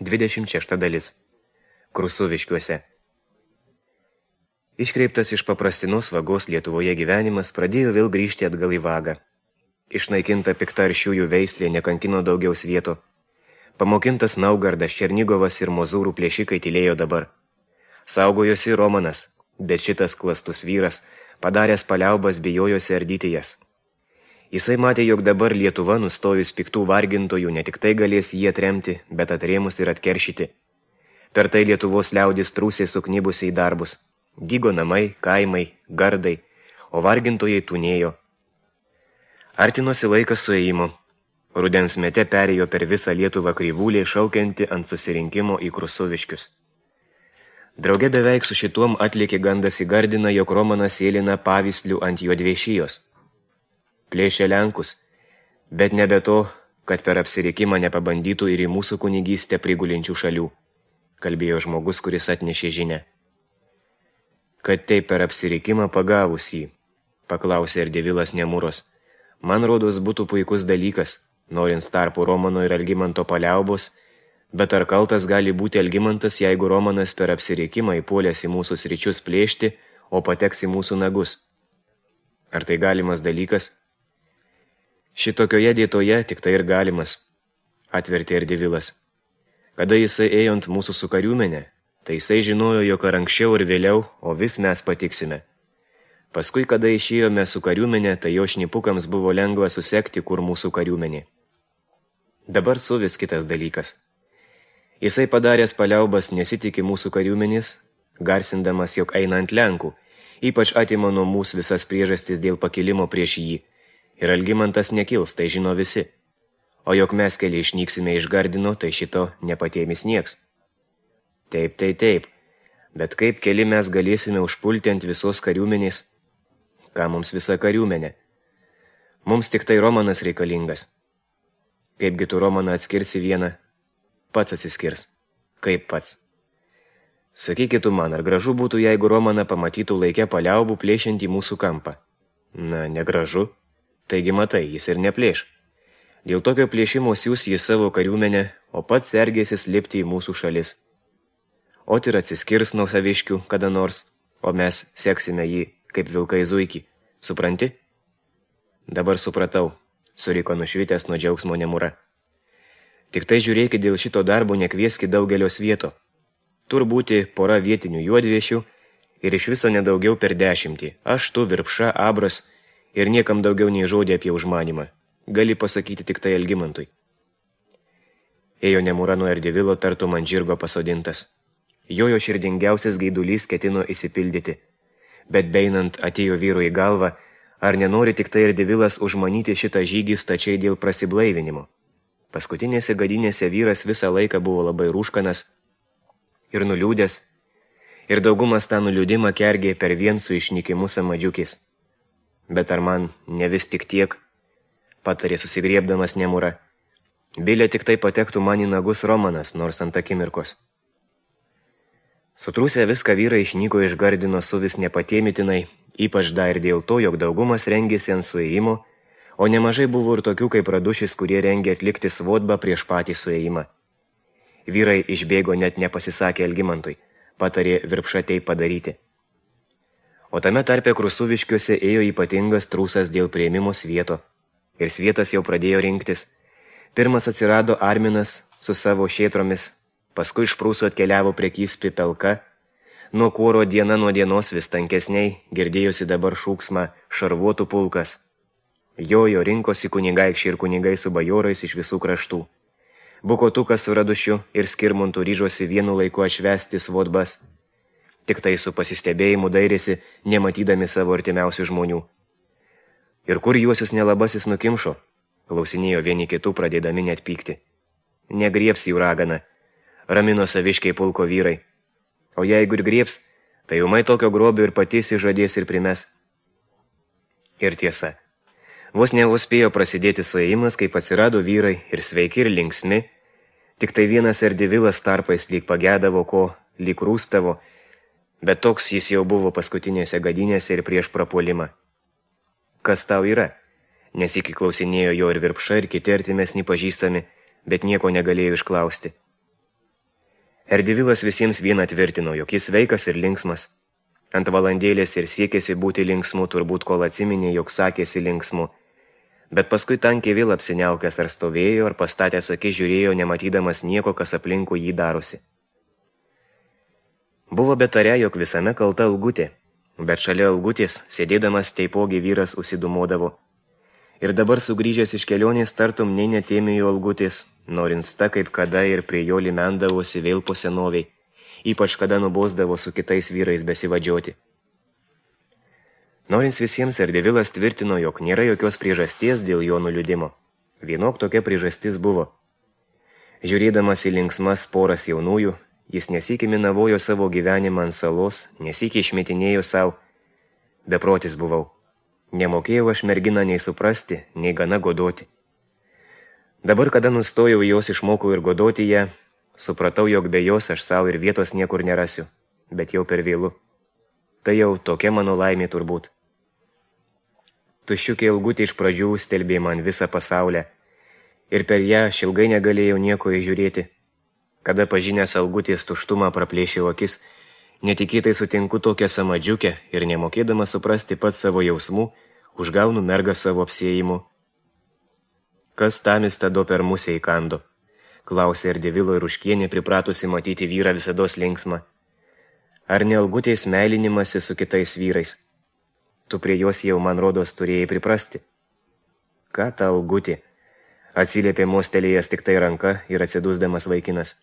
26 dalis. Krusuviškiuose. Iškreiptas iš paprastinos vagos Lietuvoje gyvenimas pradėjo vėl grįžti atgal į vagą. Išnaikinta pikta aršiųjų veislė nekankino daugiau svieto. Pamokintas Naugardas, Černigovas ir Mozūrų plėšikai tylėjo dabar. Saugojosi Romanas, bet šitas klastus vyras, padaręs paliaubas, bijojosi ardyti jas. Jisai matė, jog dabar Lietuva, nustojus piktų vargintojų, ne tik tai galės jį atremti, bet atrėmus ir atkeršyti. Per tai Lietuvos liaudis trūsė suknibusi į darbus. Dygo namai, kaimai, gardai, o vargintojai tūnėjo. Artinosi laikas suėjimo. Rudens mete perėjo per visą Lietuvą kryvūlė, šaukianti ant susirinkimo į Krusuviškius. Drauge beveik su šituom atlikė gandas į Gardiną, jog Romanas sėlina pavyslių ant Juodviešijos. Plėšė Lenkus, bet nebe to, kad per apsirikimą nepabandytų ir į mūsų kunigystę prigulinčių šalių, kalbėjo žmogus, kuris atnešė žinią. Kad taip per apsirikimą pagavus jį, paklausė Erdevilas Nemuros. Man rodos būtų puikus dalykas, norint tarpu Romano ir Algimanto paliaubos, bet ar kaltas gali būti Algimantas, jeigu Romanas per apsirikimą įpuolęs į mūsų sričius plėšti, o pateks į mūsų nagus? Ar tai galimas dalykas? Šitokioje dėtoje tik tai ir galimas, atvertė Erdevilas. Kada jisai ėjo ant mūsų su kariuomenė, tai jisai žinojo, jog ar anksčiau ir vėliau, o vis mes patiksime. Paskui, kada išėjome su kariuomenė, tai jo šnipukams buvo lengva susekti, kur mūsų kariuomenė. Dabar su vis kitas dalykas. Jisai padaręs paliaubas nesitikė mūsų kariuomenės, garsindamas, jog eina ant Lenkų, ypač atimo nuo mūsų visas priežastis dėl pakilimo prieš jį. Ir Algimantas nekils, tai žino visi. O jog mes keli išnyksime iš Gardino, tai šito nepatėmis nieks. Taip, bet kaip keli mes galėsime užpulti ant visos kariuomenės? Ką mums visa kariuomenė? Mums tik tai Romanas reikalingas. Kaipgi tu Romaną atskirsi vieną? Pats atsiskirs. Kaip pats? Sakykit man, ar gražu būtų, jeigu Romaną pamatytų laikę paliaubų plėšiant į mūsų kampą? Na, negražu. Taigi matai, jis ir neplėš. Dėl tokio plėšimo siūs jis savo kariuomenę, o pats sergėsis lipti į mūsų šalis. O ir atsiskirs nuo saviškių kada nors, o mes seksime jį kaip vilkai zuikį. Supranti? Dabar supratau, suriko nušvitęs nuo džiaugsmo Nemura. Tik tai žiūrėkit, dėl šito darbo nekvieski daugelio svieto. Tur būti pora vietinių juodviešių ir iš viso nedaugiau per 10. Aš, tu, Virpša, Abras ir niekam daugiau nei žodį apie užmanimą. Gali pasakyti tik tai Algimantui. Ėjo Nemura nuo Erdevilo tartum ant žirgo pasodintas. Jojo širdingiausias gaidulys ketino įsipildyti. Bet beinant atėjo vyru į galvą, ar nenori tik tai Erdevilas užmanyti šitą žygį stačiai dėl prasiblaivinimo. Paskutinėse gadinėse vyras visą laiką buvo labai rūškanas ir nuliūdęs, ir daugumas tą nuliūdimą kergė per vien su išnykimu samadžiukis. Bet ar man ne vis tik tiek, patarė susigriebdamas Nemura. Bilė tik tai patektų man į nagus Romanas, nors ant akimirkos. Sutrūsę viską vyrai išnyko iš Gardino su vis nepatėmitinai, ypač dar ir dėl to, jog daugumas rengėsi ant suėjimo, o nemažai buvo ir tokių kaip Radušis, kurie rengė atlikti svodbą prieš patį suėjimą. Vyrai išbėgo net nepasisakė Algimantui, patarė Virpša tai padaryti. O tame tarpe Krusuviškiuose ėjo ypatingas trūsas dėl priėmimo svieto. Ir svietas jau pradėjo rinktis. Pirmas atsirado Arminas su savo šėtromis, paskui iš Prūsų atkeliavo prekys Pipelka. Nuo kuoro diena nuo dienos vis tankesniai girdėjosi dabar šūksmą šarvuotų pulkas. Jojo rinkosi kunigaikščiai ir kunigai su bajorais iš visų kraštų. Bukotukas su Radušiu ir Skirmuntu ryžosi vienu laiku atšvęsti svodbas. Tik tai su pasistebėjimu dairėsi, nematydami savo artimiausių žmonių. Ir kur juosius nelabasis nukimšo? Klausinėjo vieni kitų, pradėdami net pykti. Negriebs jų ragana, ramino saviškiai pulko vyrai. O jeigu ir griebs, tai umai tokio grobio ir patys įžadės ir primes. Ir tiesa. Vos neuspėjo prasidėti suėjimas, kai atsirado vyrai ir sveiki ir linksmi, tik tai vienas Erdevilas tarpais lyg pagėdavo ko, lyg rūstavo, bet toks jis jau buvo paskutinėse gadinėse ir prieš prapuolimą. Kas tau yra? Nesikį klausinėjo jo ir Virpša ir kiti artimesni pažįstami, bet nieko negalėjo išklausti. Erdivilas visiems vieną tvirtino, jog jis sveikas ir linksmas. Ant valandėlės ir siekėsi būti linksmu, turbūt kol atsiminė, jog sakėsi linksmu. Bet paskui tankiai vėl apsiniaukęs ar stovėjo, ar pastatęs akis žiūrėjo, nematydamas nieko, kas aplinkui jį darosi. Buvo betarė, jog visame kalta Algutė, bet šalia Algutės, sėdėdamas teipogi vyras užsidumodavo. Ir dabar sugrįžęs iš kelionės tartum nei netėmėjo Algutės, norinsta kaip kada ir prie jo limendavosi vėl po senoviai, ypač kada nubosdavo su kitais vyrais besivadžioti. Norins visiems Erdevilas tvirtino, jog nėra jokios priežasties dėl jo nuliūdimo. Vienok tokia priežastis buvo. Žiūrėdamas į linksmas poras jaunųjų, jis nesykį minavojo savo gyvenimą ant salos, nesykį išmetinėjo savo. Beprotis buvau. Nemokėjau aš merginą nei suprasti, nei gana godoti. Dabar, kada nustojau jos, išmokau ir godoti ją, supratau, jog be jos aš savo ir vietos niekur nerasiu, bet jau per vėlu. Tai jau tokia mano laimė turbūt. Tuščiukė Algutė iš pradžių stelbė man visą pasaulę, ir per ją aš ilgai negalėjau nieko įžiūrėti. Kada pažinęs Algutės tuštumą praplėšiau akis, netikėtai sutinku tokią samadžiukę ir nemokėdama suprasti pats savo jausmų, užgaunu mergą savo apsėjimu. Kas tamis tado per musę įkando? Klausė Erdevilo ir Ruškienė, pripratusi matyti vyrą visados linksmą. Ar ne Algutės meilinimasi su kitais vyrais? Tu prie jos jau, man rodos, turėjai priprasti. Ką ta Algutė? Atsiliepė mostelėjęs tik tai ranka ir atsidusdamas vaikinas.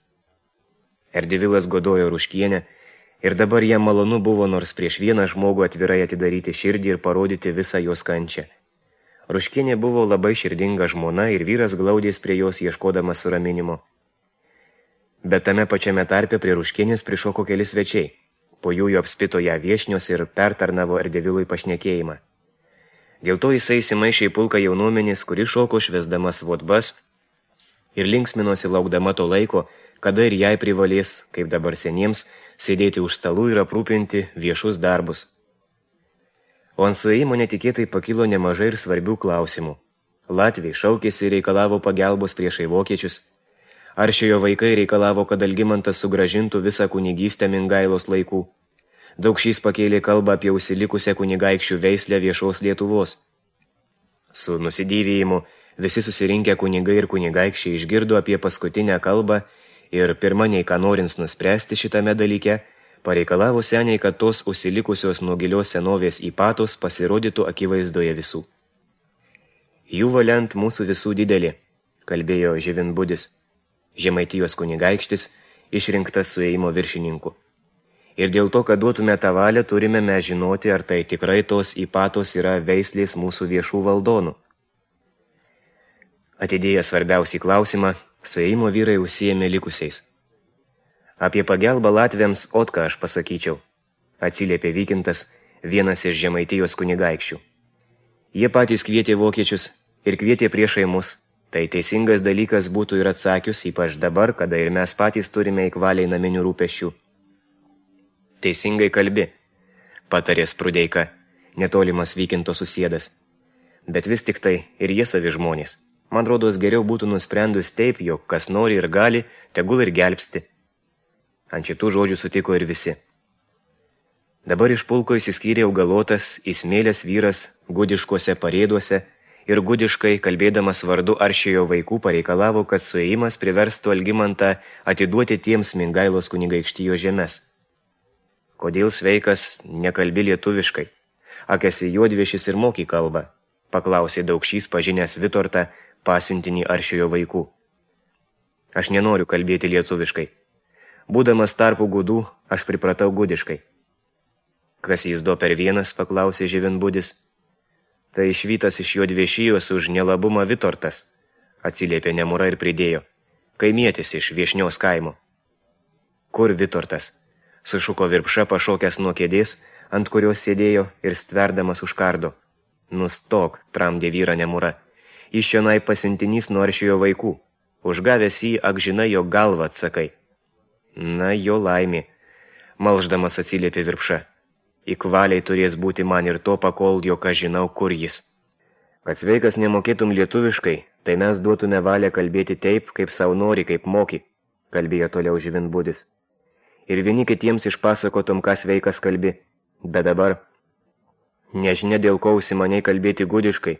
Erdevilas godojo Ruškienę ir dabar jam malonu buvo nors prieš vieną žmogų atvirai atidaryti širdį ir parodyti visą jos kančią. Ruškienė buvo labai širdinga žmona ir vyras glaudės prie jos ieškodamas suraminimo. Bet tame pačiame tarpe prie Ruškienės prišoko keli svečiai. Po jų apspito ją viešnios ir pertarnavo Erdevilui pašnekėjimą. Dėl to jisai įsimaišė į pulką jaunuomenės, kuri šoko švesdamas vodbas ir linksminosi laukdama to laiko, kada ir jai privalės, kaip dabar seniems, sėdėti už stalų ir aprūpinti viešus darbus. O ant suėjimo netikėtai pakilo nemažai ir svarbių klausimų. Latviai šaukėsi ir reikalavo pagelbos priešai vokiečius. Aršiojo vaikai reikalavo, kad Algimantas sugrąžintų visą kunigystę Mingailos laikų. Daukšys pakėlė kalbą apie užsilikusią kunigaikščių veislę viešos Lietuvos. Su nusidėvėjimu visi susirinkę kunigai ir kunigaikščiai išgirdo apie paskutinę kalbą ir pirma nei ką norins nuspręsti šitame dalyke, pareikalavo seniai, kad tos užsilikusios nuo gilios senovės įpatos pasirodytų akivaizdoje visų. Jų valiant mūsų visų didelė, kalbėjo Živinbudis, Žemaitijos kunigaikštis, išrinktas suėjimo viršininku. Ir dėl to, kad duotume tą valią, turime mes žinoti, ar tai tikrai tos įpatos yra veislės mūsų viešų valdonų. Atidėję svarbiausiai klausimą, suėjimo vyrai užsiėmė likusiais. Apie pagelbą latviams Otką aš pasakyčiau, atsiliepė Vykintas, vienas iš Žemaitijos kunigaikščių. Jie patys kvietė vokiečius ir kvietė priešai mus. Tai teisingas dalykas būtų ir atsakius, ypač dabar, kada ir mes patys turime įkvaliai naminių rūpesčių. Teisingai kalbi, patarė Sprudeika, netolimas Vykinto susėdas. Bet vis tik tai ir jie savi žmonės. Man rodos geriau būtų nusprendus taip, jog kas nori ir gali, tegul ir gelbsti. Ant šitų žodžių sutiko ir visi. Dabar iš pulko įsiskyrė augalotas, įsmėlęs vyras gudiškose parėduose, ir gudiškai, kalbėdamas vardu Aršiojo vaikų, pareikalavo, kad suėjimas priverstų Algimantą atiduoti tiems Mingailos kunigaikštijo žemes. Kodėl sveikas nekalbi lietuviškai? Ak esi juodviešis ir moki kalbą, paklausė Daukšys pažinęs Vitortą, pasiuntinį Aršiojo vaikų. Aš nenoriu kalbėti lietuviškai. Būdamas tarpų gudų, aš pripratau gudiškai. Kas jis do per vienas, paklausė Živinbudis. Tai išvytas iš juodviešijos už nelabumą Vitortas, atsiliepė Nemura ir pridėjo, kaimietis iš Viešnios kaimo. Kur Vitortas? Sušuko Virpša pašokęs nuo kėdės, ant kurios sėdėjo ir stverdamas už kardo. Nustok, tramdė vyrą Nemura, iš čionai pasiuntinys nuo Aršiojo vaikų, užgavęs jį, ak žinai, jo galvą atsakai. Na, jo laimė, malždamas atsiliepė Virpša. Įkvaliai turės būti man ir to pakol, jog aš žinau, kur jis. Kad sveikas nemokėtum lietuviškai, tai mes duotume valią kalbėti taip, kaip savo nori, kaip moki. kalbėjo toliau žyvinbudis. Ir vieni kitiems išpasakotum, kas veikas kalbi, bet dabar, nežinia dėl ko užsimaniai kalbėti gudiškai,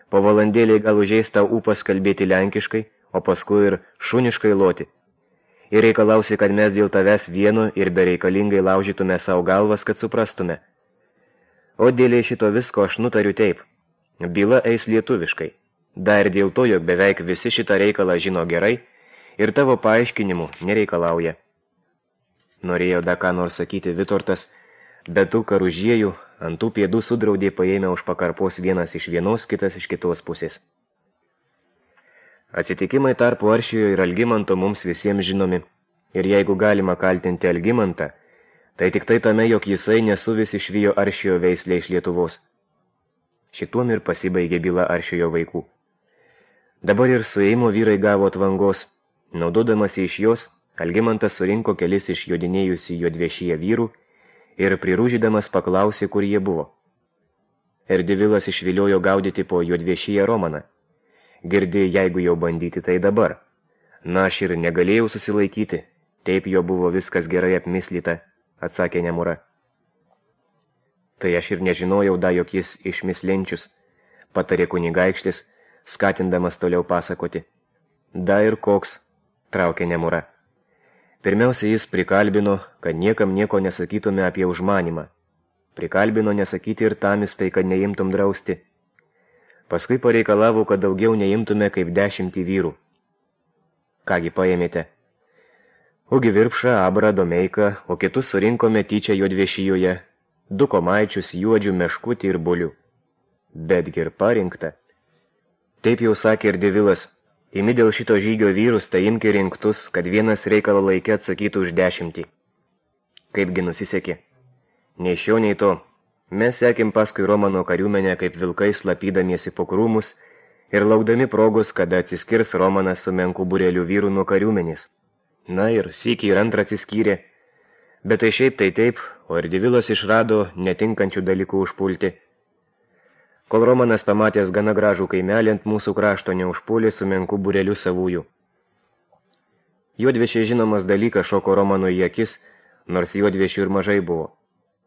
po valandėliai gal užeis tau ūpas kalbėti lenkiškai, o paskui ir šuniškai loti. Ir reikalausi, kad mes dėl tavęs vieno ir bereikalingai laužytume savo galvas, kad suprastume. O dėlė šito visko aš nutariu taip. Byla eis lietuviškai. Dar dėl to, jog beveik visi šitą reikalą žino gerai ir tavo paaiškinimų nereikalauja. Norėjo da ką nors sakyti Vitortas, bet tų karužiejų ant tų pėdų sudraudė paėmę už pakarpos vienas iš vienos, kitas iš kitos pusės. Atsitikimai tarp Aršijo ir Algimanto mums visiems žinomi, ir jeigu galima kaltinti Algimantą, tai tik tai tame, jog jisai nesuvis išvijo Aršijo veislę iš Lietuvos. Šituom ir pasibaigė byla Aršijo vaikų. Dabar ir suėjimo vyrai gavo atvangos. Naudodamas iš jos, Algimantas surinko kelis iš jodinėjusių juodviešyje vyrų ir prirūžydamas paklausė, kur jie buvo. Erdivilas išviliojo gaudyti po juodviešyje Romaną. Girdi, jeigu jau bandyti, tai dabar. Na, aš ir negalėjau susilaikyti, taip jo buvo viskas gerai apmislyta, atsakė Nemura. Tai aš ir nežinojau, jog jis išmislenčius, patarė kunigaikštis, skatindamas toliau pasakoti. Da ir koks, traukė Nemura. Pirmiausia, jis prikalbino, kad niekam nieko nesakytume apie užmanimą. Prikalbino nesakyti ir tamistai, kad neimtum drausti. Paskui pareikalavo, kad daugiau neimtume kaip 10 vyrų. Kągi paėmėte? Ugi Virpšą, Abrą, Domeiką, o kitus surinkome tyčia juodviešijoje, 2 komaičius, juodžių, meškutį ir bulių. Betgi ir parinkta. Taip jau sakė ir Devilas, imi dėl šito žygio vyrus, tai imki rinktus, kad vienas reikalo laikė atsakytų už 10. Kaipgi nusisekė? Nei šio, nei to. Mes sekėm paskui Romano kariuomenę kaip vilkai slapydamiesi po krūmus ir laukdami progos, kada atsiskirs Romanas su menku bureliu vyrų nuo kariuomenės. Na ir sykį ir antrą atsiskyrė, bet tai šiaip tai taip, o ir Devilas išrado netinkančių dalykų užpulti. Kol Romanas pamatęs gana gražų kaimelį ant mūsų krašto neužpulė su menku bureliu savųjų. Juodviešiai žinomas dalykas šoko Romano į akis, nors juodviešių ir mažai buvo.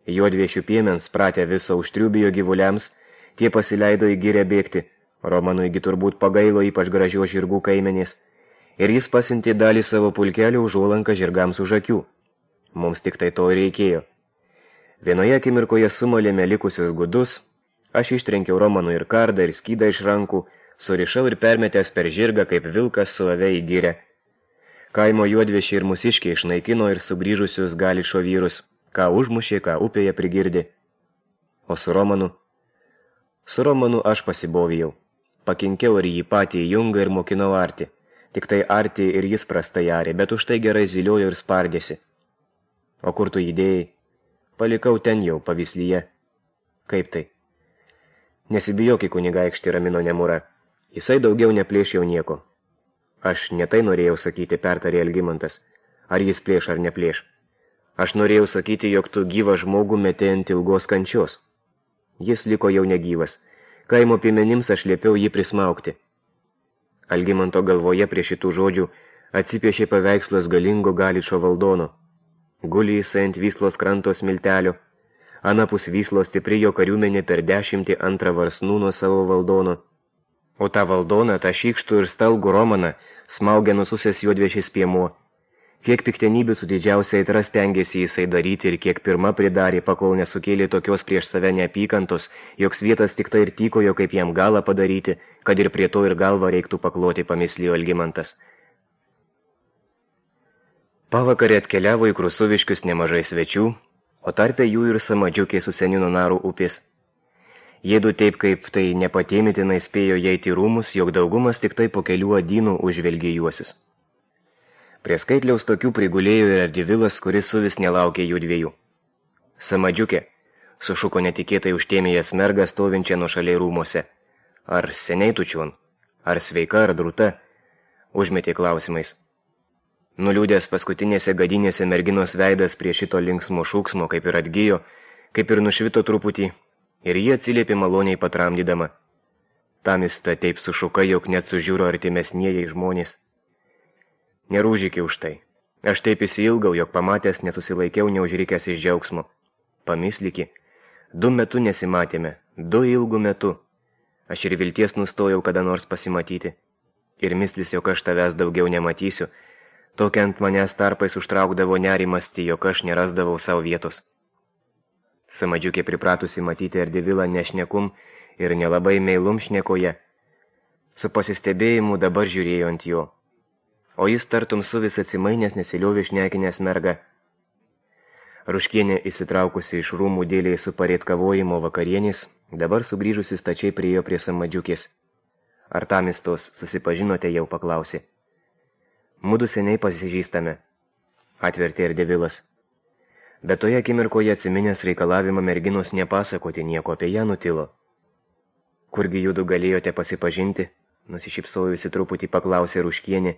Juodviešių piemens pratę viso užtriubijo gyvuliams, tie pasileido į gyrę bėgti, Romanuigi turbūt pagailo ypač gražios žirgų kaimenės, ir jis pasiuntė dalį savo pulkelio užuolanką žirgams už akių. Mums tik tai to reikėjo. Vienoje akimirkoje sumalėme likusius gudus, aš ištrenkiau Romanų ir kardą ir skydą iš rankų, surišau ir permetęs per žirgą kaip vilkas su ave į gyrę. Kaimo juodviešiai ir mūsiškiai išnaikino ir sugrįžusius Galičo vyrus, ką užmušė, ką upėje prigirdi. O su Romanu? Su Romanu aš pasibovijau. Pakinkiau ir jį patį į jungą ir mokinau arti. Tik tai arti ir jis prastai arė, bet už tai gerai ziliojo ir spardėsi. O kur tu įdėjai? Palikau ten jau, pavyslyje. Kaip tai? Nesibijoki, kunigaikšti, ramino Nemura. Jisai daugiau neplėš jau nieko. Aš netai norėjau sakyti, pertarė Algimantas. Ar jis plėš ar neplėš? Aš norėjau sakyti, jog tu gyvą žmogų metė ant ilgos kančios. Jis liko jau negyvas. Kaimo piemenims aš liepiau jį prismaukti. Algimanto galvoje prie šitų žodžių atsipiešė paveikslas galingo Galičo valdono. Guli jisai ant Vyslos kranto smiltelio. Anapus Vyslos stipri jo kariuomenė per 10 antrą varsnų nuo savo valdono. O tą valdoną, tą šykštų ir stalgų Romaną smaugė nususęs juodviešis piemuo. Kiek piktenybių su didžiausia aitra stengėsi jisai daryti ir kiek pirma pridarė, pakol nesukėlė tokios prieš save neapykantos, joks vietas tik tai ir tykojo, kaip jam galą padaryti, kad ir prie to ir galvą reiktų pakloti, pamislėjo Algimantas. Pavakarė atkeliavo į Krusuviškius nemažai svečių, o tarpe jų ir Samadžiukė su Senino Narų upės. Jėdu taip kaip tai nepatėmitinai spėjo įeiti į rūmus, jog daugumas tik tai po kelių adynų užvelgė juosius. Prie skaitliaus tokių prigulėjo ir Ardivilas, kuris suvis nelaukė jų dviejų. Samadžiukė, sušuko netikėtai užtėmėjęs mergą stovinčią nuo šaliai rūmose. Ar seniai tu čion? Ar sveika, ar drūta? Užmetė klausimais. Nuliūdęs paskutinėse gadinėse merginos veidas prie šito linksmo šūksmo kaip ir atgijo, kaip ir nušvito truputį, ir jie atsiliepė maloniai patramdydama. Tamista taip sušuka, jog net sužiūro artimesnieji žmonės. Nerūžykį už tai. Aš taip įsiilgau, jog pamatęs nesusilaikiau neužrikęs iš džiaugsmo. Pamisliki, 2 metų nesimatėme, 2 ilgų metų. Aš ir vilties nustojau kada nors pasimatyti. Ir mislis, jog aš tavęs daugiau nematysiu, tokia ant manęs tarpais užtraukdavo nerimasti, jog aš nerasdavau savo vietos. Samadžiukė pripratusi matyti Erdevilą nešnekum ir nelabai meilum šnekoje. Su pasistebėjimu dabar žiūrėjo ant jo. O jis tartum su vis atsimainęs nesiliovė šnekinės mergą. Ruškienė įsitraukusi iš rūmų dėliai su parėtkavojimo vakarienis, dabar sugrįžusi stačiai priėjo prie Samadžiukės. Ar tamistos susipažinote jau, paklausė. Mudu seniai pasižįstame, atvertė Erdevilas. Bet toje akimirkoje atsiminęs reikalavimą merginos nepasakoti nieko apie ją nutilo. Kurgi judu galėjote pasipažinti, nusišypsojusi truputį paklausė Ruškienė,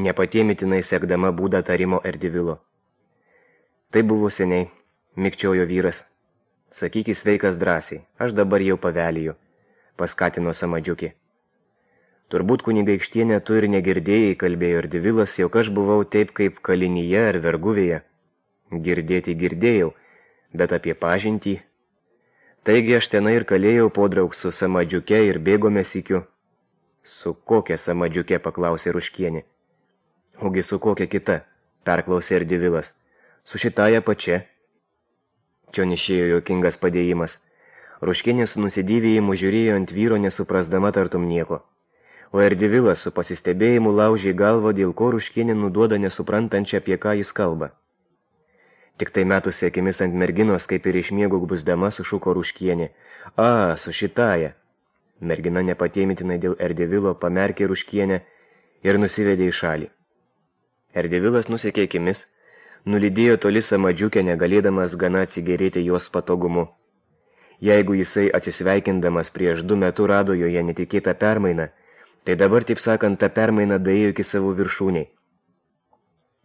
nepatėmitinai sekdama būdą tarimo Erdevilo. Tai buvo seniai, mikčiojo vyras. Sakykis sveikas drąsiai, aš dabar jau paveliju, paskatino Samadžiukė. Turbūt kunigaikštienė tu ir negirdėjai, kalbėjo Erdevilas, jog aš buvau taip kaip kalinyje ar verguvėje. Girdėti girdėjau, bet apie pažintį. Taigi aš tenai ir kalėjau podraug su Samadžiuke ir bėgome sykiu. Su kokia Samadžiuke, paklausė Ruškienė. Ogi su kokia kita, perklausė Erdevilas. Su šitąja pačia. Čion išėjo juokingas padėjimas. Ruškienė su nusidėvėjimu žiūrėjo ant vyro nesuprasdama tartum nieko. O Erdevilas su pasistebėjimu laužė galvą, dėl ko Ruškienė nuduoda nesuprantančią, apie ką jis kalba. Tik tai metusi akimis ant merginos, kaip ir iš miego gbusdama, sušuko Ruškienė. A, su šitąja. Mergina nepatėmitinai dėl Erdevilo pamerkė Ruškienę ir nusivedė į šalį. Erdevilas nusekė akimis, nulydėjo toli Samadžiukę, negalėdamas gana atsigerėti jos patogumu. Jeigu jisai atsisveikindamas prieš 2 metų rado joje netikėtą permainą, tai dabar, taip sakant, ta permaina daėjo iki savo viršūniai.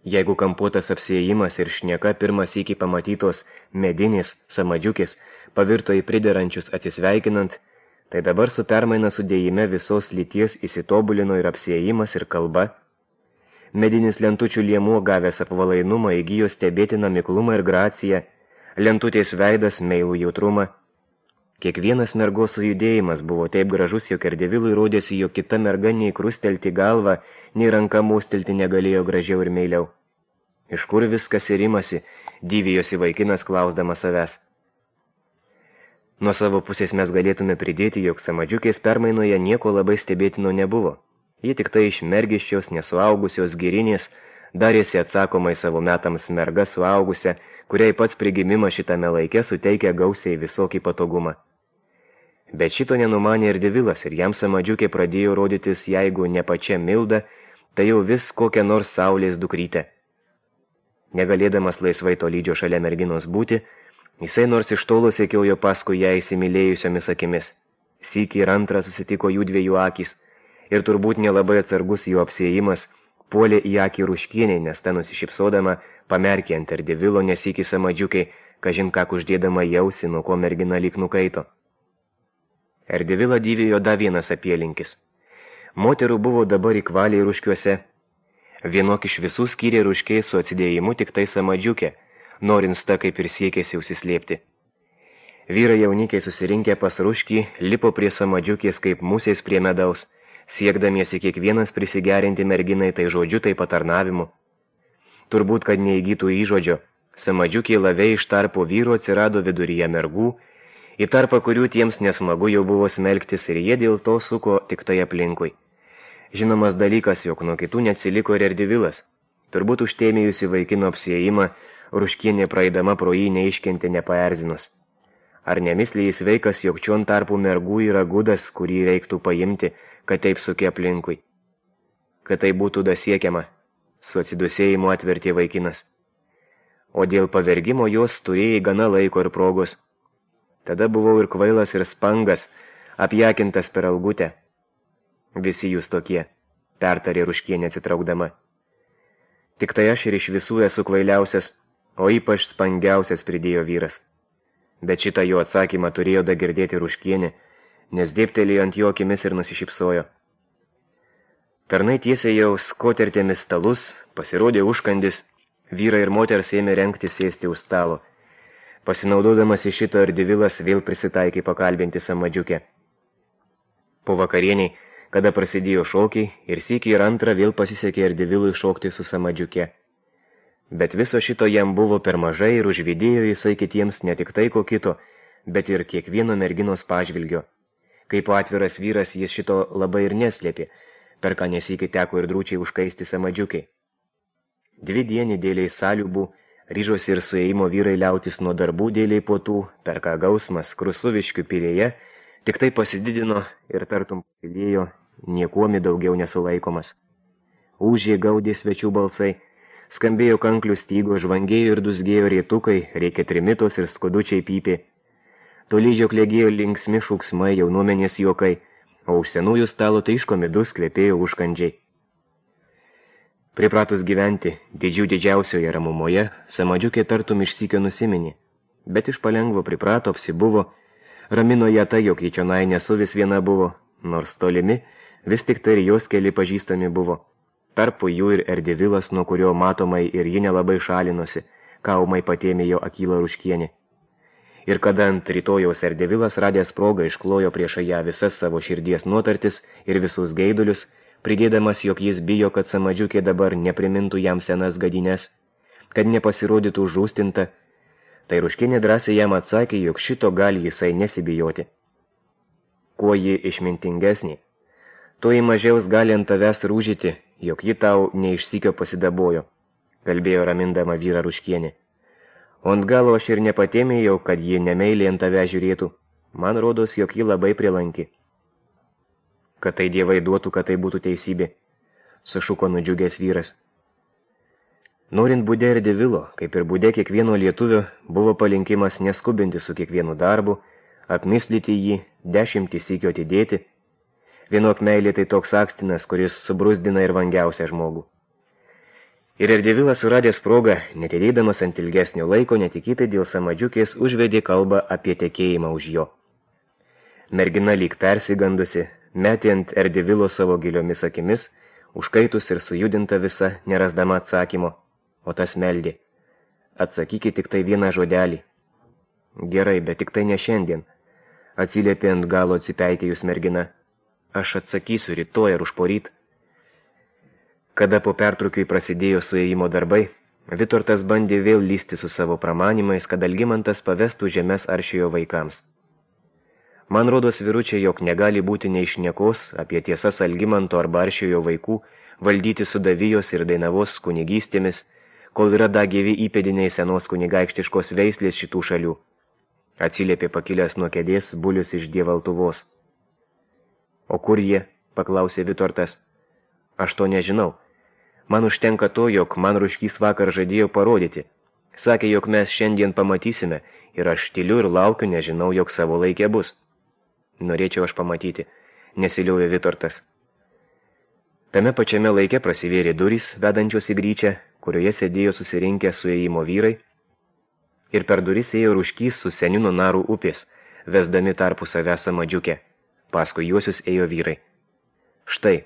Jeigu kampuotas apsiėjimas ir šneka pirmas iki pamatytos medinės Samadžiukės pavirto į priderančius atsisveikinant, tai dabar su permaina sudėjime visos lyties įsitobulino ir apsiėjimas ir kalba. Medinis lentučių liemuo gavęs apvalainumą įgijo stebėtiną miklumą ir graciją, lentutės veidas meilų jautrumą. Kiekvienas mergos sujudėjimas buvo taip gražus, jog Erdevilui rodėsi, jog kita merga nei krustelti galvą, nei ranka mostelti negalėjo gražiau ir meiliau. Iš kur viskas ir imasi, dyvijosi vaikinas klausdamas savęs. Nuo savo pusės mes galėtume pridėti, jog Samadžiukės permainoje nieko labai stebėtino nebuvo. Ji tik tai iš mergiščios, nesuaugusios girinės, darėsi atsakomai savo metams merga suaugusią, kuriai pats prigimimas šitame laike suteikia gausiai visokį patogumą. Bet šito nenumanė Erdevilas ir jam Samadžiukė pradėjo rodytis, jeigu ne pačia Milda, tai jau vis kokią nors saulės dukrytę. Negalėdamas laisvai tolydžio šalia merginos būti, jisai nors iš tolo sekiojo paskui ją įsimylėjusiomis akimis. Sykį ir antrą susitiko jų dviejų akys, ir turbūt nelabai atsargus jų apsėjimas puolė į akį Ruškienei, nes ta nusišypsodama pamerkė ant Erdevilo nesykį Samadžiukai, kažin ką uždėdama jausi, nuo ko mergina lyg nukaito. Erdevilą dyvėjo dar vienas apielinkis. Moterų buvo dabar įkvaliai Ruškiuose. Vienok iš visų skyrė Ruškiai su atsidėjimu tik tai Samadžiukė, norint ta kaip ir siekėsi užsislėpti. Vyrai jaunikiai susirinkę pas Ruškį lipo prie Samadžiukės kaip musės prie medaus, siekdamiesi kiekvienas prisigerinti merginai tai žodžiu, tai patarnavimu. Turbūt, kad neįgytų įžodžio, Samadžiukė laviai iš tarpo vyro atsirado viduryje mergų, į tarpą kurių tiems nesmagu jau buvo smelktis ir jie dėl to suko tik tai aplinkui. Žinomas dalykas, jog nuo kitų neatsiliko ir Erdevilas. Turbūt užtėmėjusi vaikino apsiėjimą, Ruškienė praeidama pro jį neiškentė nepaerzinus. Ar nemisliai jis veikas, jog čion tarpų mergų yra gudas, kurį reiktų paimti, kad taip suke aplinkui? Kad tai būtų dasiekiama, su atsidusėjimu atvertė vaikinas. O dėl pavergimo jos turėjai gana laiko ir progos. Tada buvau ir kvailas, ir spangas, apjakintas per algutę. Visi jūs tokie, pertarė Ruškienė atsitraukdama. Tik tai aš ir iš visų esu kvailiausias, o ypač spangiausias, pridėjo vyras. Bet šitą jo atsakymą turėjo dagirdėti Ruškienė, nes dėptelėjo ant jo akimis ir nusišypsojo. Tarnai tiesiai jau skotertėmis stalus, pasirodė užkandis, vyrai ir moters ėmė rengti sėsti už stalo. Pasinaudodamas iš šito Erdivilas vėl prisitaikė pakalbinti Samadžiukę. Po vakarieniai, kada prasidėjo šokiai, ir sykį ir antrą vėl pasisekė Erdivilui šokti su Samadžiuke. Bet viso šito jam buvo per mažai ir užvidėjo jisai kitiems ne tik tai ko kito, bet ir kiekvieno merginos pažvilgio. Kaip atviras vyras jis šito labai ir neslėpė, per ką nesykį teko ir drūčiai užkaisti Samadžiukai. 2 dienį dėliai saliubų, ryžosi ir suėjimo vyrai liautis nuo darbų dėliai potų, per ką gausmas Krusuviškių pilėje tik tai pasididino ir tartum pilėjo, niekuomi daugiau nesulaikomas. Ūžė gaudė svečių balsai, skambėjo kanklių stygo, žvangėjo ir dusgėjo rėtukai, rėkė trimitos ir skudučiai pypė. Tolydžio klėgėjo linksmi šūksmai, jaunuomenės juokai, o už senųjų stalo taiškomi dus kvepėjo užkandžiai. Pripratus gyventi didžiausioje ramumoje, Samadžiukė tartum išsykio nusiminė, bet iš palengvo priprato apsibuvo, ramino ją tai, jog į čionai nesu vis viena buvo, nors tolimi, vis tik tai ir jos keli pažįstami buvo. Tarpu jų ir Erdivilas, nuo kurio matomai ir ji nelabai šalinosi, kaumai patėmė jo Akylą Ruškienį. Ir kada ant rytojaus Erdivilas radęs progą išklojo prieš ją visas savo širdies nuotartis ir visus geidulius, pridėdamas, jog jis bijo, kad Samadžiukė dabar neprimintų jam senas gadines, kad nepasirodytų žūstinta, tai Ruškienė drąsiai jam atsakė, jog šito gali jisai nesibijoti. Kuo ji išmintingesnė, tuo ji mažiaus gali ant tavęs rūžyti, jog ji tau neišsykio pasidabojo, kalbėjo ramindama vyrą Ruškienė. O ant galo aš ir nepatėmėjau, kad ji nemeiliai ant tave žiūrėtų, man rodos, jog ji labai prilanki. Kad tai dievai duotų, kad tai būtų teisybė, sušuko nudžiugęs vyras. Norint būdė Erdivilo, kaip ir būdė kiekvieno lietuvio, buvo palinkimas neskubinti su kiekvienu darbu, apmislyti jį, 10 sykių atidėti. Vienok meilė tai toks akstinas, kuris subrusdina ir vangiausią žmogų. Ir Erdivilas suradęs progą, netidėdamas ant ilgesnio laiko, netikėtai dėl Samadžiukės užvedė kalbą apie tekėjimą už jo. Mergina lyg persigandusi, metė ant Erdivilo savo giliomis akimis, užkaitus ir sujudinta visa, nerasdama atsakymo, o tas meldė. Atsakykit tik tai vieną žodelį. Gerai, bet tik tai ne šiandien, atsiliepė ant galo atsipeitėjus mergina. Aš atsakysiu rytoj ar užporyt. Kada po pertraukiui prasidėjo suėjimo darbai, Vitortas bandė vėl lysti su savo pramanimais, kad Algimantas pavestų žemes Aršiojo vaikams. Man rodos vyručiai, jog negali būti nei šnekos apie tiesas Algimanto arba Aršiojo vaikų valdyti Sudavijos ir Dainavos kunigystėmis, kol yra dar gyvi įpėdiniai senos kunigaikštiškos veislės šitų šalių. Atsiliepė pakilęs nuo kėdės Bulius iš Dievaltuvos. O kur jie? Paklausė Vitortas. Aš to nežinau. Man užtenka to, jog man Ruškys vakar žadėjo parodyti. Sakė, jog mes šiandien pamatysime ir aš tyliu ir laukiu, nežinau, jog savo laikė bus. Norėčiau aš pamatyti, nesiliovė Vitortas. Tame pačiame laike prasivėrė durys, vedančios į gryčią, kurioje sėdėjo susirinkę suėjimo vyrai, ir per duris ėjo Ruškys su seniu nuo Narų upės, vesdami tarpu savę Samadžiukę. Paskui juosius ėjo vyrai. Štai,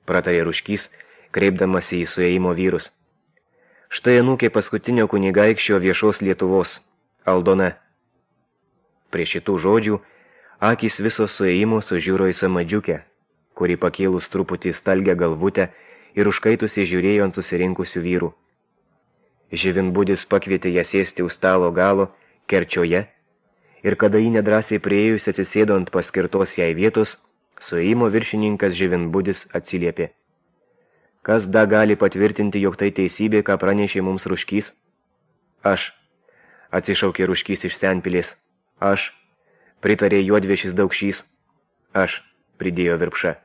pratarė Ruškys, kreipdamasi į suėjimo vyrus. Štai anūkė paskutinio kunigaikščio viešos Lietuvos, Aldona. Prie šitų žodžių akys viso suėjimo sužiūro į Samadžiukę, kuri pakėlus truputį stalgę galvutę ir užkaitusi žiūrėjo ant susirinkusių vyrų. Živinbudis pakvietė ją sėsti už stalo galo, kerčioje, ir kada jį nedrąsiai priėjus atsisėdo ant paskirtos jai vietos, suėjimo viršininkas Živinbudis atsiliepė. Kas da gali patvirtinti, jog tai teisybė, ką pranešė mums Ruškys? Aš, atsišaukė Ruškys iš Senpilės. Aš, pritarė Juodviešis Daukšys. Aš, pridėjo Virpša.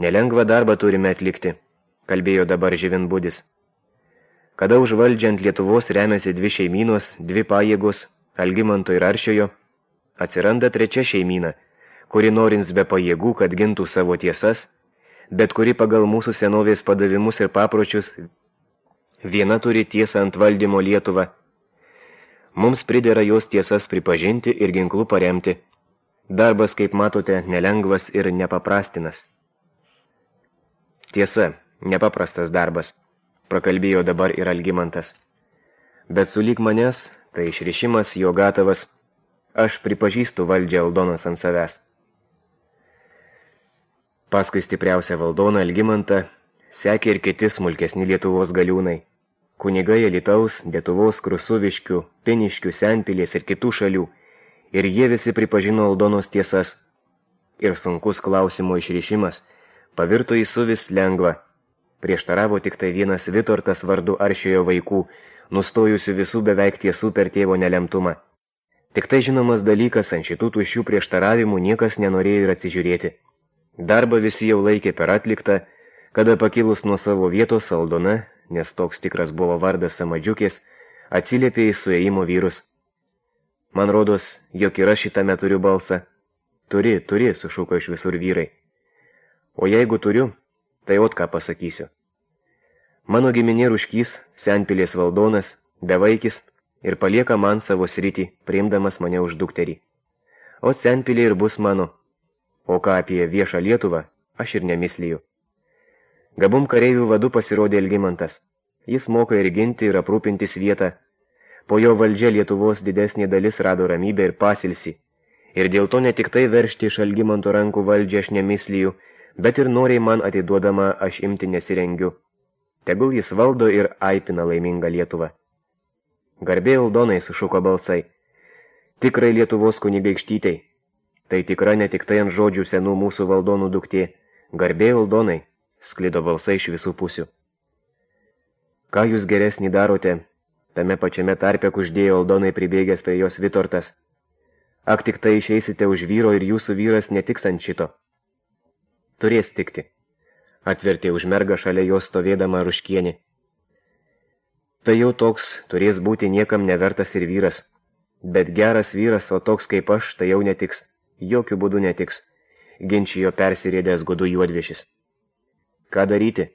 Nelengvą darbą turime atlikti, kalbėjo dabar Živinbudis. Kada užvaldžiant Lietuvos remiasi 2 šeimynos, 2 pajėgos, Algimanto ir Aršiojo, atsiranda 3 šeimyna, kuri norins be pajėgų, kad gintų savo tiesas, bet kuri pagal mūsų senovės padavimus ir papročius viena turi tiesą ant valdymo Lietuvą. Mums pridera jos tiesas pripažinti ir ginklų paremti. Darbas, kaip matote, nelengvas ir nepaprastinas. Tiesa, nepaprastas darbas, prakalbėjo dabar ir Algimantas. Bet sulyg manęs, tai išrišimas jo gatavas, aš pripažįstu valdžią Aldonas ant savęs. Paskui stipriausią valdoną Algimantą sekė ir kiti smulkesni Lietuvos galiūnai. Kunigai Alytaus, Lietuvos, Krusuviškių, Piniškių, Senpilės ir kitų šalių, ir jie visi pripažino Aldonos tiesas. Ir sunkus klausimo išrišimas pavirto į suvis lengva. Prieštaravo tik tai vienas Vitortas vardu Aršiojo vaikų, nustojusių visų beveik tiesų per tėvo nelemtumą. Tik tai žinomas dalykas, ant šitų tuščių prieštaravimų niekas nenorėjo ir atsižiūrėti. Darbą visi jau laikė per atliktą, kada pakilus nuo savo vietos Aldona, nes toks tikras buvo vardas Samadžiukės, atsiliepė į suėjimo vyrus. Man rodos, jog ir aš šitame turiu balsą. Turi, sušuko iš visur vyrai. O jeigu turiu, tai ot ką pasakysiu. Mano giminė Ruškys, Senpilės valdonas, bevaikis ir palieka man savo sritį, priimdamas mane už dukterį. O Senpilė ir bus mano. O ką apie viešą Lietuvą, aš ir nemisliju. Gabum kareivių vadu pasirodė Algimantas. Jis moka ir ginti, ir aprūpintis vietą. Po jo valdžia Lietuvos didesnė dalis rado ramybę ir pasilsį. Ir dėl to ne tik tai veršti iš Algimanto rankų valdžią aš nemisliju, bet ir noriai man atiduodama aš imti nesirengiu. Tegul jis valdo ir aipina laimingą Lietuvą. Garbė Aldonai, sušuko balsai. Tikrai Lietuvos kunigaikštytei. Tai tikra ne tik tai ant žodžių senų mūsų valdonų duktė. Garbė Aldonai, sklido balsai iš visų pusių. Ką jūs geresnį darote? Tame pačiame tarpe kuždėjo Aldonai pribėgęs prie jos Vitortas. Ak tik tai išeisite už vyro ir jūsų vyras netiks ant šito. Turės tikti, atvertė už mergą šalia jos stovėdama Ruškienė. Tai jau toks turės būti niekam nevertas ir vyras. Bet geras vyras, o toks kaip aš, tai jau netiks. Jokių būdų netiks, ginčijo persirėdęs gudų juodviešis. Ką daryti?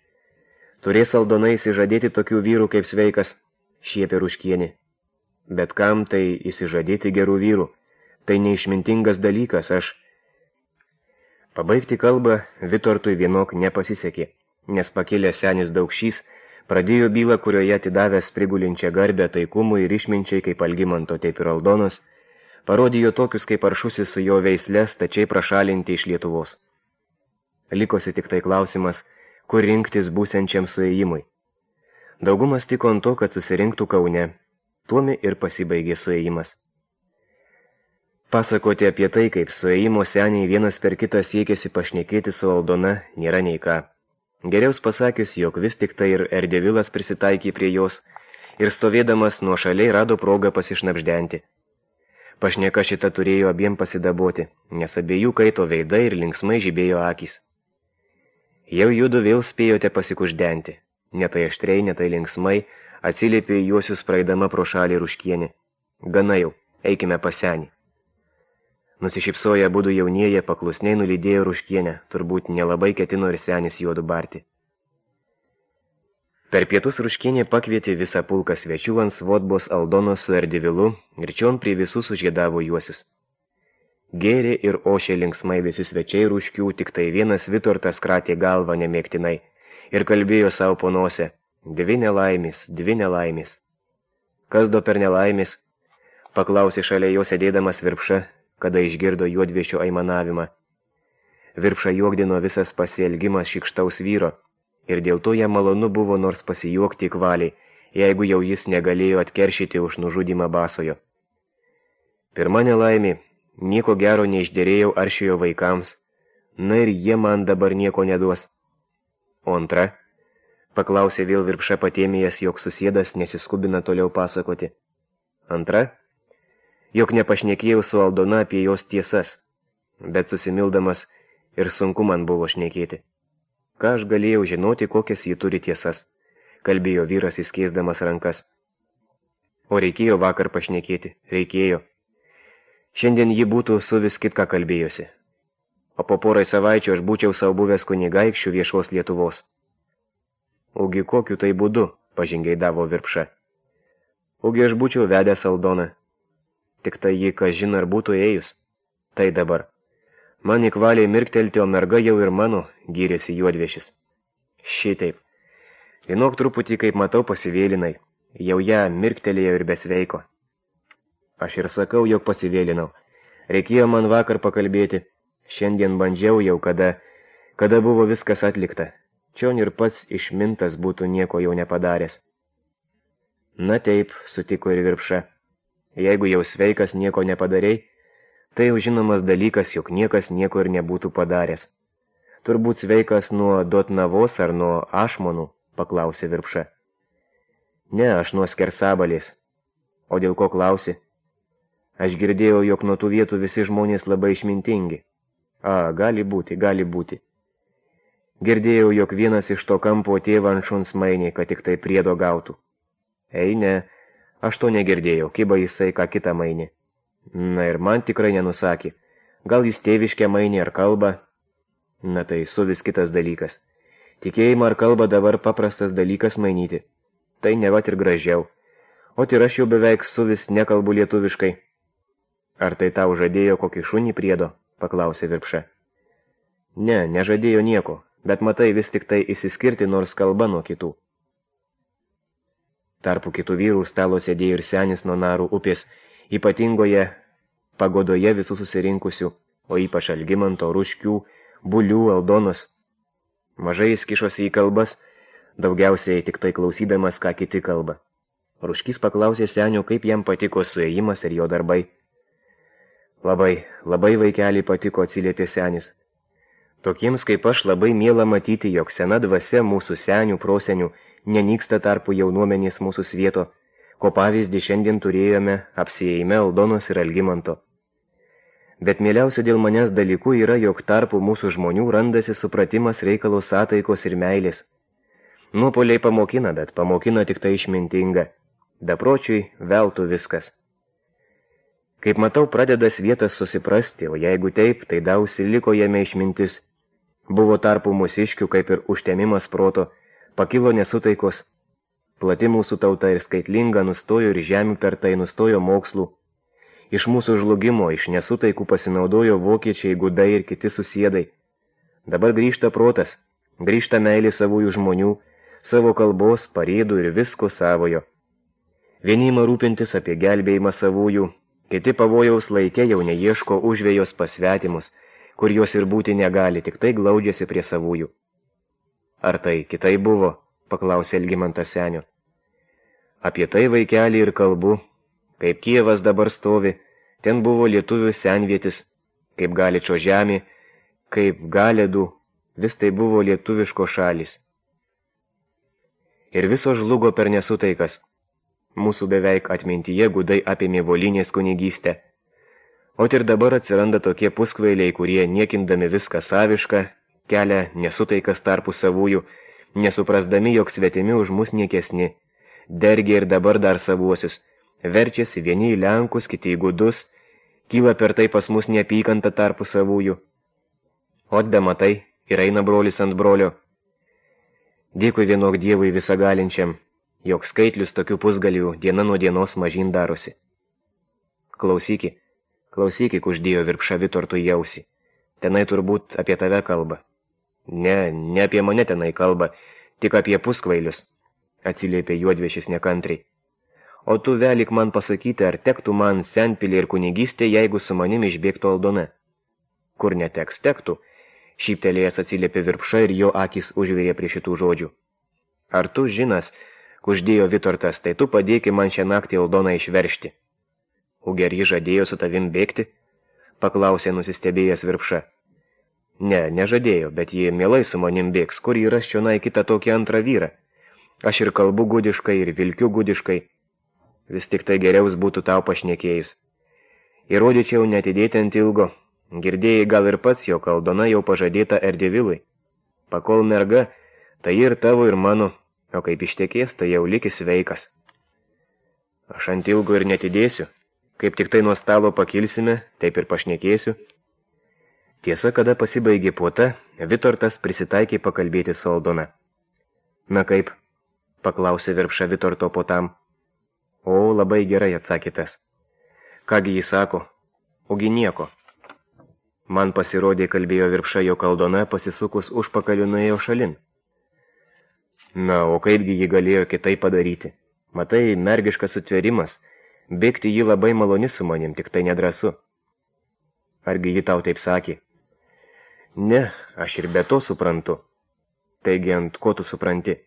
Turės Aldona įsižadėti tokių vyrų kaip sveikas, šiepė Ruškienė. Bet kam tai įsižadėti gerų vyrų? Tai neišmintingas dalykas, aš... Pabaigti kalbą Vitortui vienok nepasisekė, nes pakilęs senis Daukšys pradėjo bylą, kurioje atidavęs prigulinčią garbę taikumui ir išminčiai kaip Algimanto, taip ir Aldonas, parodijo tokius kaip Aršusis su jo veisle stačiai prašalinti iš Lietuvos. Likosi tik tai klausimas, kur rinktis būsiančiam suėjimui. Daugumas tiko ant to, kad susirinktų Kaune, tuomi ir pasibaigė suėjimas. Pasakoti apie tai, kaip suėjimo seniai vienas per kitą siekėsi pašnekėti su Aldona, nėra nei ką. Geriaus pasakius, jog vis tik tai ir Erdevilas prisitaikė prie jos ir stovėdamas nuo šaliai rado progą pasišnapždenti. Pašneka šita turėjo abiem pasidaboti, nes abiejų kaito veidai ir linksmai žibėjo akys. Jau judu vėl spėjote pasikuždenti, ne tai aštriai, ne tai linksmai, atsiliepė juosius praeidama pro šalį Ruškienė. Gana jau, eikime pas senį. Nusišypsoję abudu jaunieji paklusniai nulydėjo Ruškienę, turbūt nelabai ketino ir senis juodu barti. Per pietus Ruškienė pakvietė visą pulką svečių ant Svodbos Aldonos su Erdevilu ir čion prie visus užgėdavo juosius. Gėrė ir ošė linksmai visi svečiai Ruškių, tik tai vienas Vitortas kratė galvą nemėgtinai ir kalbėjo savo po nosę, dvi nelaimės. Kas do per nelaimės? Paklausė šalia jo sėdėdamas Virpša, kada išgirdo juodviešio aimanavimą. Virpša juokdino visas pasielgimas šikštaus vyro, ir dėl to jam malonu buvo nors pasijuokti kvaliai, jeigu jau jis negalėjo atkeršyti už nužudymą basojo. Pirma nelaimė, nieko gero neišderėjau Aršiojo vaikams, na ir jie man dabar nieko neduos. O antra, paklausė vėl Virpša patėmėjęs, jog susėdas nesiskubina toliau pasakoti. Antra, jog nepašnekėjau su Aldona apie jos tiesas, bet susimildamas ir sunku man buvo šnekėti. Ką aš galėjau žinoti, kokias ji turi tiesas, kalbėjo vyras įskeisdamas rankas. O reikėjo vakar pašnekėti, reikėjo. Šiandien ji būtų su vis kitką kalbėjosi. O po porai savaičių aš būčiau savo buvęs kunigaikščių viešos Lietuvos. Ugi kokiu tai būdu, pažingeidavo Virpša. Ugi aš būčiau vedęs Aldoną. Tik tai ji, kas žino, ar būtų ėjus. Tai dabar. Man įkvaliai mirktelti, o merga jau ir mano, gyrėsi juodviešis. Šitaip. Vienok truputį, kaip matau, pasivėlinai. Jau ją mirktelėjo ir besveiko. Aš ir sakau, jog pasivėlinau. Reikėjo man vakar pakalbėti. Šiandien bandžiau jau, kada buvo viskas atlikta. Čion ir pats išmintas būtų nieko jau nepadaręs. Na taip, sutiko ir Virpša. Jeigu jau sveikas nieko nepadarei, tai jau žinomas dalykas, jog niekas nieko ir nebūtų padaręs. Turbūt sveikas nuo Dotnavos ar nuo Ašmonų, paklausė Virpša. Ne, aš nuo Skersabalės. O dėl ko klausi? Aš girdėjau, jog nuo tų vietų visi žmonės labai išmintingi. Gali būti. Girdėjau, jog vienas iš to kampo tėvą ant šuns mainė, kad tik tai priedo gautų. Ei, ne, aš to negirdėjau, kiba jisai ką kitą mainė. Na ir man tikrai nenusakė. Gal jis tėviškę mainė ar kalbą? Na tai suvis kitas dalykas. Tikėjimą ar kalbą dabar paprastas dalykas mainyti. Tai nevat ir gražiau. O ir aš jau beveik suvis nekalbu lietuviškai. Ar tai tau žadėjo kokį šunį priedo? Paklausė Virpša. Ne, nežadėjo nieko, bet matai vis tik tai išsiskirti nors kalba nuo kitų. Tarpu kitų vyrų stalo sėdėjo ir senis nuo Narų upės, ypatingoje pagodoje visų susirinkusių, o ypač Algimanto, Ruškių, Bulių, Aldonos. Mažai jis kišosi į kalbas, daugiausiai tik tai klausydamas, ką kiti kalba. Ruškys paklausė senio, kaip jam patiko suėjimas ir jo darbai. Labai vaikelį patiko, atsiliepė senis. Tokiems kaip aš labai miela matyti, jog sena dvasia mūsų senių, prosenių nenyksta tarpu jaunuomenės mūsų svieto, ko pavyzdį šiandien turėjome apsiėjime Aldonos ir Algimanto. Bet mieliausia dėl manęs dalykų yra, jog tarpu mūsų žmonių randasi supratimas reikalo sątaikos ir meilės. Nuopoliai pamokina, bet pamokina tik tai išmintinga. Bepročiui veltų viskas. Kaip matau, pradeda svietas susiprasti, o jeigu taip, tai dausi liko jame išmintis. Buvo tarpu mūsiškių kaip ir užtemimas proto, pakilo nesutaikos. Plati mūsų tauta ir skaitlinga nustojo ir žemių per tai nustojo mokslų. Iš mūsų žlugimo, iš nesutaikų pasinaudojo vokiečiai, gudai ir kiti susiedai. Dabar grįžta protas, grįžta meilė savųjų žmonių, savo kalbos, pareidų ir visko savojo. Vieni ima rūpintis apie gelbėjimą savųjų, kiti pavojaus laike jau neieško užvėjos pasvetimus, kur jos ir būti negali, tik tai glaudžiasi prie savųjų. Ar tai kitai buvo, paklausė Algimantas senio. Apie tai vaikelį ir kalbu, kaip Kijevas dabar stovi, ten buvo lietuvių senvietis, kaip Galičo žemė, kaip Galėdų, vis tai buvo lietuviško šalis. Ir viso žlugo per nesutaikas. Mūsų beveik atmintyje gudai apėmė Volinės kunigystę. O ir dabar atsiranda tokie puskvailiai, kurie niekindami viską savišką, kelia nesutaikas tarpu savųjų, nesuprasdami, jog svetimi už mus niekesni, dergia ir dabar dar savuosius, verčiasi vieni į Lenkus, kiti į gudus, kyla per tai pas mus neapykanta tarpu savųjų. O be matai, ir eina brolis ant brolio. Dėkui vienok Dievui visagalinčiam, jog skaitlius tokių pusgalių diena nuo dienos mažyn darosi. Klausyki, uždėjo Virpša Vitortui į ausį. Tenai turbūt apie tave kalba. Ne apie mane tenai kalba, tik apie puskvailius, atsiliepė juodviešis nekantriai. O tu velik man pasakyti, ar tektų man senpilė ir kunigystė, jeigu su manim išbėgtų Aldona. Kur neteks, tektų, šyptelėjęs atsiliepė Virpša ir jo akis užvirė prie šitų žodžių. Ar tu žinas, kuždėjo Vitortas, tai tu padėki man šią naktį Aldoną išveršti. Ugi ar ji žadėjo su tavim bėgti? Paklausė nusistebėjęs Virpša. Ne, nežadėjo, bet ji mielai su manim bėgs, kur yra šionai kitą tokį antrą vyrą. Aš ir kalbu gudiškai, ir vilkiu gudiškai. Vis tik tai geriaus būtų tau pašnekėjus. Įrodyčiau netidėti ant ilgo. Girdėjai gal ir pats, jog Aldona jau pažadėta Erdevilui. Pakol merga, tai ir tavo, ir mano. O kaip ištekės, tai jau likis sveikas. Aš ant ilgo ir netidėsiu. Kaip tik tai nuo stalo pakilsime, taip ir pašnekėsiu. Tiesa, kada pasibaigė puota, Vitortas prisitaikė pakalbėti su Aldona. Na kaip? Paklausė Virpša Vitorto puotam. O, labai gerai, atsakė tas. Kągi jis sako? Ogi nieko. Man pasirodė, kalbėjo Virpša, jog Aldona pasisukus užpakaliu nuėjo šalin. Na, o kaipgi ji galėjo kitaip padaryti? Matai, mergiškas sutverimas. Bėgti ji labai maloni su manim, tik tai nedrąsu. Argi ji tau taip sakė? Ne, aš ir be to suprantu. Taigi ant ko tu supranti?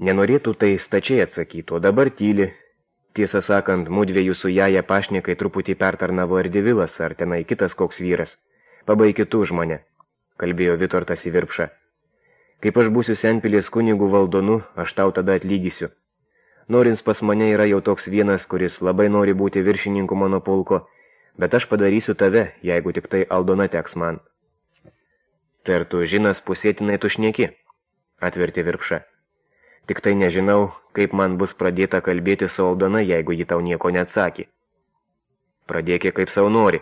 Nenorėtų tai stačiai atsakyti, o dabar tyli. Tiesą sakant, mudviejų su Jaja pašnekai truputį pertarnavo Erdivilas, ar tenai kitas koks vyras. Pabaiki tu už mane, kalbėjo Vitortas į Virpšą. Kaip aš būsiu Senpilės kunigų valdonu, aš tau tada atlygysiu. Norins pas mane yra jau toks vienas, kuris labai nori būti viršininku mano pulko, bet aš padarysiu tave, jeigu tik tai Aldona teks man. Tai ar tu žinas pusėtinai tu šneki, atvertė Virpša. Tik tai nežinau, kaip man bus pradėta kalbėti su Aldona, jeigu ji tau nieko neatsakė. Pradėkė kaip savo nori.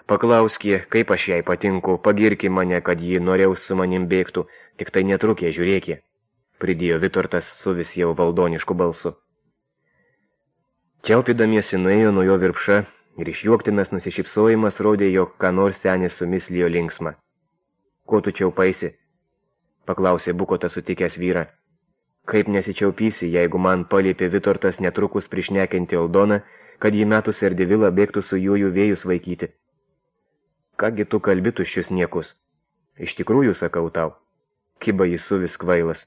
Paklauskė, kaip aš jai patinku, pagirki mane, kad ji norėjau su manim bėgtų, tik tai netrukė, žiūrėkė, pridėjo Vitortas su vis jau valdonišku balsu. Čiaupydamiesi nuėjo nuo jo Virpša ir išjuoktinas nusišypsojimas rodė, jog ką nors senis sumislijo linksmą. Ko tu čiaupaisi? Paklausė Bukotas sutikęs vyrą. Kaip nesičiaupysi, jeigu man paliepė Vitortas netrukus prišnekinti Aldoną, kad jį metus Erdivilą bėgtų su juoju vėjus vaikyti. Kągi tu kalbi tuščius niekus? Iš tikrųjų sakau tau. Kiba jis suvis kvailas.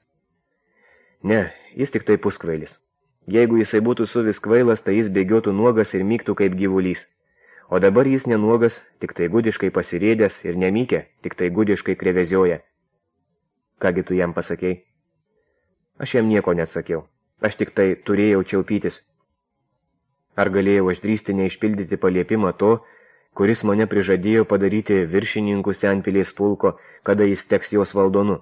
Ne, jis tik tai puskvailis. Jeigu jisai būtų suvis kvailas, tai jis bėgiotų nuogas ir myktų kaip gyvulys. O dabar jis nenuogas, tik tai gudiškai pasirėdęs ir nemykė, tik tai gudiškai krevezioja. Kągi tu jam pasakei? Aš jam nieko neatsakiau. Aš tik tai turėjau čiaupytis. Ar galėjau aš drįsti neišpildyti paliepimą to, kuris mane prižadėjo padaryti viršininku Senpilės pulko, kada jis teks jos valdonu?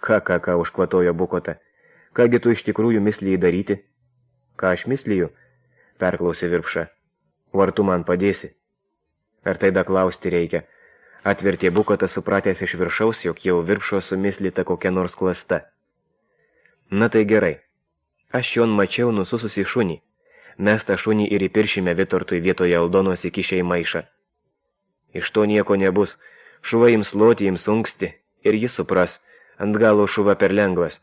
Ką, užkvatojo Bukota. Kągi tu iš tikrųjų mislijai daryti? Ką aš misliju? Perklausė Virpša. O ar tu man padėsi? Ar tai da klausti reikia? Atvertė Bukota supratęs iš viršaus, jog jau Virpšo sumislita kokia nors klasta. Na tai gerai. Aš jon mačiau nusususį šunį. Mes tą šunį ir įpiršime Vitortui vietoje Aldonos įkišę į maišą. Iš to nieko nebus. Šuva ims loti, ims unksti, ir jis supras, ant galo šuva per lengvas.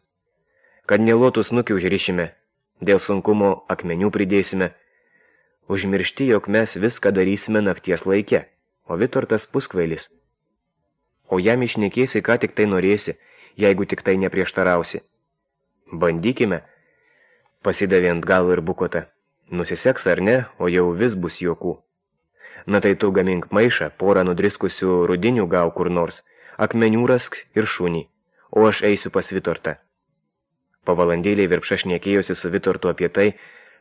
Kad nelotų snukį užrišime, dėl sunkumo akmenių pridėsime. Užmiršti, jog mes viską darysime nakties laike, o Vitortas puskvailis. O jam išnekėsi, ką tik tai norėsi, jeigu tik tai neprieštarausi. Bandykime, pasidavė ant galo ir Bukota. Nusiseks ar ne, o jau vis bus juokų. Na tai tu gamink maišą, porą nudriskusių rudinių gau kur nors, akmenių rask ir šunį, o aš eisiu pas Vitortą. Po valandėlį Virpša šnekėjosi su Vitortu apie tai,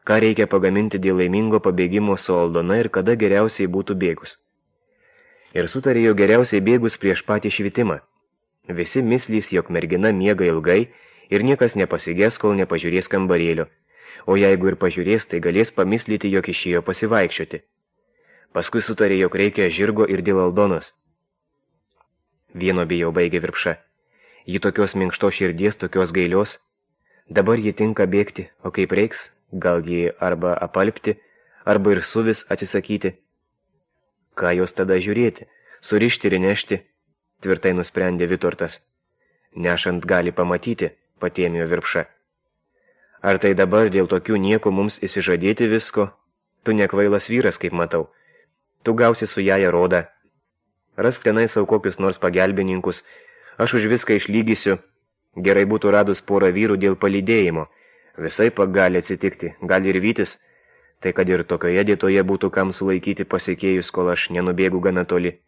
ką reikia pagaminti dėl laimingo pabėgimo su Aldona ir kada geriausiai būtų bėgus. Ir sutarė jo geriausiai bėgus prieš patį švitimą. Visi myslys, jog mergina miega ilgai, ir niekas nepasigės, kol nepažiūrės kambarėlio, o jeigu ir pažiūrės, tai galės pamislyti, jog išėjo pasivaikščioti. Paskui sutarė, jog reikia žirgo ir dėl Aldonos. Vieno bijau, baigė Virpša. Ji tokios minkštos širdies, tokios gailios. Dabar ji tinka bėgti, o kaip reiks, gal ji arba apalpti, arba ir suvis atsisakyti. Ką jos tada žiūrėti, surišti ir nešti, tvirtai nusprendė Vitortas. Nešant gali pamatyti, patėmėjo Virpša. Ar tai dabar dėl tokių nieko mums įsižadėti visko? Tu nekvailas vyras, kaip matau. Tu gausi su Jaja rodą. Rask tenai savo kokius nors pagelbininkus. Aš už viską išlygysiu. Gerai būtų radus porą vyrų dėl palydėjimo. Visai gali atsitikti, gali ir vytis. Tai kad ir tokioje dietoje būtų kam sulaikyti pasikėjus, kol aš nenubėgu gana toli.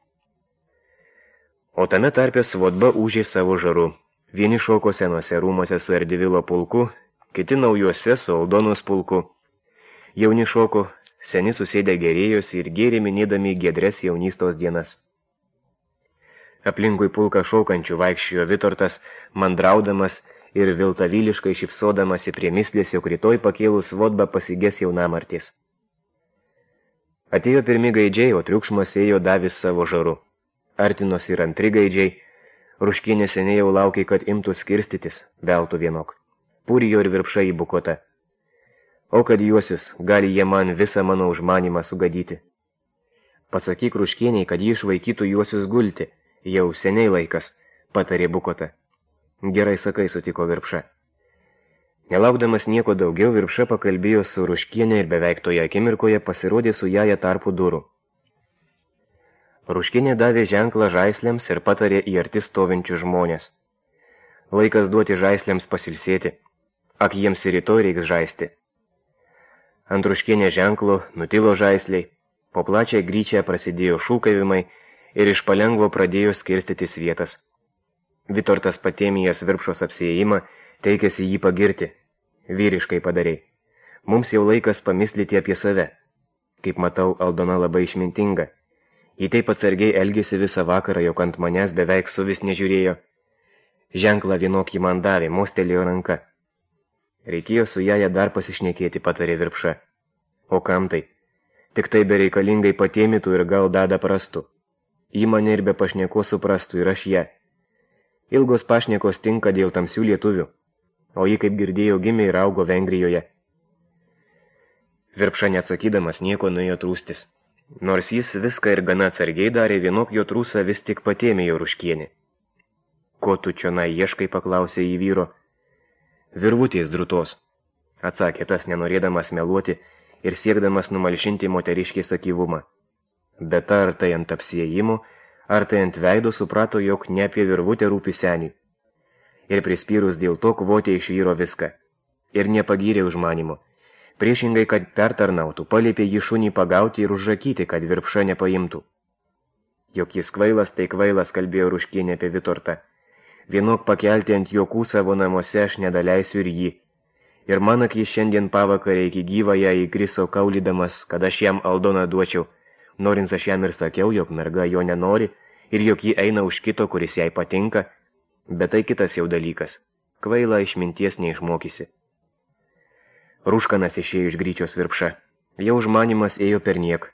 O tame tarpe Svodba ūžė savo žaru. Vieni šoko senuose rūmose su Erdivilo pulku, kiti naujuose su Aldonos pulku. Jauni šoko, seni susėdę gerėjosi ir gėrė minėdami giedres jaunystos dienas. Aplinkui pulką šaukančių vaikščiojo Vitortas, mandraudamas ir viltavyliškai šypsodamasi prie mislės, jog rytoj pakėlus Svodbą pasigės jaunamartis. Atėjo pirmi gaidžiai, o triukšmas ėjo davis savo žaru. Artinos ir antri gaidžiai. Ruškienė seniai jau laukė, kad imtų skirstytis, veltų vienok. Pūrijo ir Virpša į Bukotą. O kad juosius, gali jie man visą mano užmanimą sugadyti. Pasakyk Ruškieniai, kad jį išvaikytų juosius gulti, jau seniai laikas, patarė Bukota. Gerai sakai, sutiko Virpša. Nelaukdamas nieko daugiau, Virpša pakalbėjo su Ruškienė ir beveik toje akimirkoje pasirodė su jaja tarpu durų. Ruškienė davė ženklą žaislėms ir patarė į arti stovinčių žmonės. Laikas duoti žaislėms pasilsėti. Ak, jiems ir rytoj reiks žaisti. Ant Ruškienė ženklo nutilo žaisliai, po plačią gryčią prasidėjo šūkavimai ir iš palengvo pradėjo skirstytis vietas. Vitortas Patėmijas Virpšos apsiėjimą teikėsi jį pagirti. Vyriškai padarei. Mums jau laikas pamislyti apie save. Kaip matau, Aldona labai išmintinga. Ji taip atsargiai elgėsi visą vakarą, jog ant manęs beveik suvis nežiūrėjo. Ženklą vienokį man davė, mostelėjo ranka. Reikėjo su jaja dar pasišnekėti, patarė Virpša. O kam tai? Tik tai bereikalingai patėmytų ir gal dadą prastų. Ji mane ir be pašneko suprastų ir aš ją. Ilgos pašnekos tinka dėl tamsių lietuvių, o ji, kaip girdėjau, gimė ir augo Vengrijoje. Virpša neatsakydamas nieko nuėjo trūstis. Nors jis viską ir gana atsargiai darė, vienok jo trūsą vis tik Patėmijo Ruškienė. Ko tu čionai ieškai, paklausė į vyro. Virvutės drūtos, atsakė tas, nenorėdamas meluoti ir siekdamas numalšinti moteriškės akyvumą. Bet ar tai ant apsiėjimo, ar tai ant veido suprato, jog ne apie virvutę rūpi seniui. Ir prispyrus dėl to kvotė iš vyro viską. Ir nepagyrė užmanimo. Priešingai, kad pertarnautų, palėpė jį šunį pagauti ir užžakyti, kad Virpša nepaimtų. Jok jis kvailas, tai kvailas, kalbėjo Ruškienė apie Vitortą. Vienok pakelti ant juokų savo namuose aš nedaleisiu ir jį. Ir manak jis šiandien pavakarę iki gyvąją įgriso kaulydamas, kad aš jam Aldoną duočiau. Norins aš jam ir sakiau, jog merga jo nenori ir jog ji eina už kito, kuris jai patinka, bet tai kitas jau dalykas. Kvaila išminties neišmokysi. Rūškanas išėjo iš gryčios Virpša. Jau užmanimas ėjo perniek.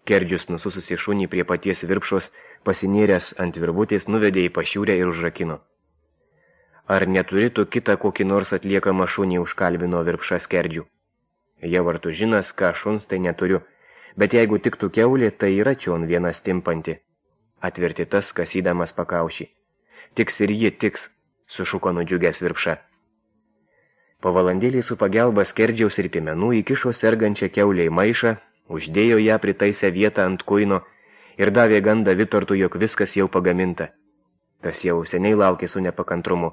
Kerdžius nusususi šunį prie paties Virpšos, pasinėręs ant virvutės, nuvedė į pašiūrę ir užrakino. Ar neturi tu kitą kokį nors atliekamą šunį, užkalbino Virpšas Kerdžių. Jau ar tu žinas, ką šuns, tai neturiu. Bet jeigu tiktų kiaulė, tai yra čion viena stimpanti. Atverti tas, kasydamas pakaušį. Tiks ir ji tiks, sušuko nudžiugęs Virpša. Po valandėlį su pagelba Skerdžiaus ir piemenų įkišo sergančią kiaulę į maišą, uždėjo ją pritaisę vietą ant kuino ir davė gandą Vitortui, jog viskas jau pagaminta. Tas jau seniai laukė su nepakantrumu.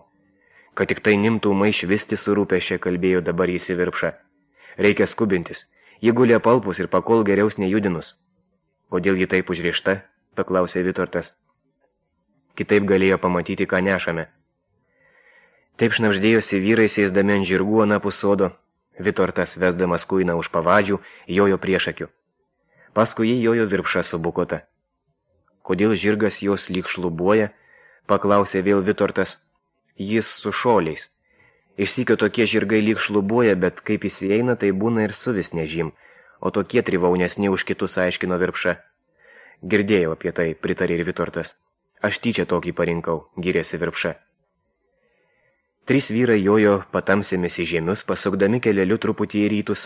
Kad tik tai nimtų maišvisti su rūpesčia, kalbėjo dabar jis į Virpšą. Reikia skubintis. Ji gulė palpus ir pakol geriaus nejudinus. Kodėl ji taip užrišta, paklausė Vitortas. Kitaip galėjo pamatyti, ką nešame. Taip šnabždėjosi vyrai sėsdami ant žirgų anapus sodo. Vitortas, vesdamas kuiną už pavadžių, jojo priešakiu. Paskui jį jojo Virpša su Bukota. Kodėl žirgas jos lyg šlubuoja, paklausė vėl Vitortas. Jis su šoliais. Išsykio tokie žirgai lyg šlubuoja, bet kaip įsieina, tai būna ir suvis nežym, o tokie trivaunesni už kitus, aiškino Virpša. Girdėjau apie tai, pritarė ir Vitortas. Aš tyčia tokį parinkau, gyrėsi Virpša. Trys vyrai jojo patamsėmis į žemius, pasukdami keleliu truputį į rytus,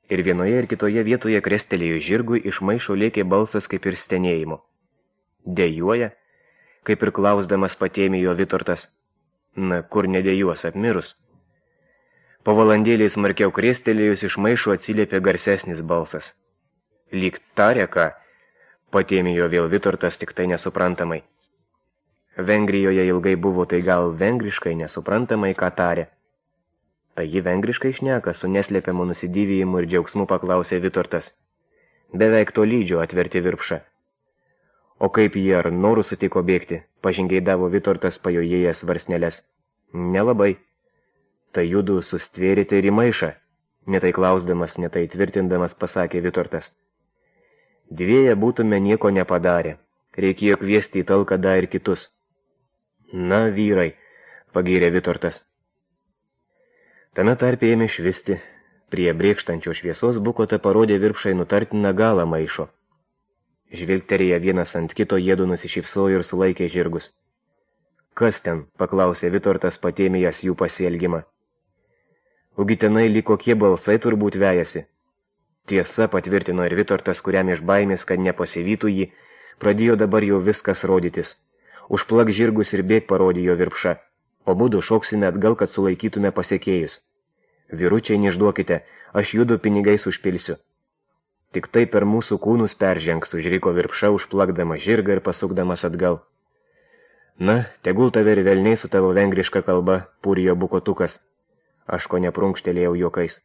ir vienoje ir kitoje vietoje krestelėjo žirgui, iš maišo lėkė balsas kaip ir stenėjimo. Dejuoja, kaip ir klausdamas Patėmijo Vitortas. Na, kur nedėjuos, apmirus? Po valandėlį smarkiau krestelėjus iš maišo atsiliepė garsesnis balsas. Lyg tarė ką, Patėmijo vėl Vitortas, tik tai nesuprantamai. Vengrijoje ilgai buvo, tai gal vengriškai nesuprantamai ką tarė. Tai ji vengriškai šneka, su neslėpiamu nusidyvijimu ir džiaugsmu paklausė Vitortas. Beveik to lydžio atverti Virpša. O kaip jie ar norų sutiko bėgti, pažingeidavo Vitortas pajojėjęs varsneles. Nelabai. Tai judu sustvėrite ir į maišą, netai klausdamas, netai tvirtindamas pasakė Vitortas. Dvieja būtume nieko nepadarę, reikėjo kviesti į talką dar ir kitus. Na, vyrai, pagyrė Vitortas. Tame tarpe ėmė švisti, prie brėkštančio šviesos Bukota parodė Virpšai nutartiną galą maišo. Žvilgterėję vienas ant kito jiedu nusišypsojo ir sulaikė žirgus. Kas ten, paklausė Vitortas Patėmijas jų pasielgimą. Ugi tenai lyg kokie balsai turbūt vejasi. Tiesa, patvirtino ir Vitortas, kuriam iš baimės, kad nepasivytų jį, pradėjo dabar jau viskas rodytis. Užplak žirgus ir bėg, parodė jo Virpša. O būdu šoksime atgal, kad sulaikytume pasiekėjus. Vyručiai, neišduokite, aš judu pinigais užpilsiu. Tik tai per mūsų kūnus peržengs, užriko Virpša, užplakdama žirgą ir pasukdamas atgal. Na, tegul tave ir velniai su tavo vengriška kalba, pūrijo bukotukas. Aš ko neprunkštelėjau juokais.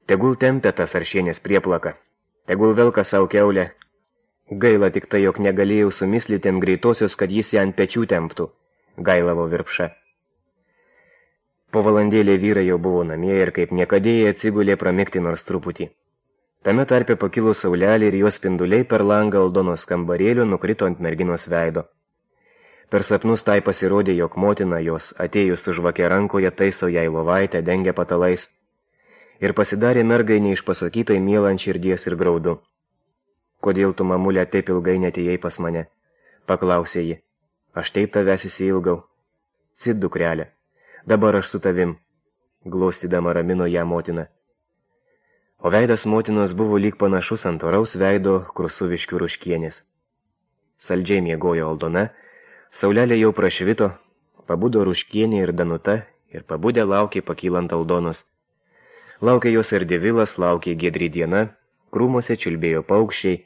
Tegul tempia tas Aršienės prieplaka. Tegul velka savo keulę. Gaila tik tai, jog negalėjau sumislyti ant greitosios, kad jis ją ant pečių temptų, gailavo Virpša. Po valandėlė vyrai jau buvo namie ir kaip niekadėjai atsigulė pramigti nors truputį. Tame tarpe pakilo saulelė ir jos spinduliai per langą Aldonos kambarėlio nukrito ant merginos veido. Per sapnus tai pasirodė, jog motina jos atėjus su žvake rankoje taiso jai lovaitę, dengia patalais. Ir pasidarė mergai neišpasakytai miela ant širdies ir graudu. Kodėl tu, mamulė, taip ilgai netėjai pas mane? Paklausė ji. Aš taip tavęs įsiilgau. Cit, dukrelė. Dabar aš su tavim. Glostydama ramino ją motina. O veidas motinos buvo lyg panašus ant oraus veido Krusuviškių Ruškienės. Saldžiai miegojo Aldona, saulelė jau prašvito, pabudo Ruškienė ir Danuta ir pabudę laukė pakylant Aldonos. Laukė jos ir Divilas, laukė giedri diena, krūmuose čiulbėjo paukščiai,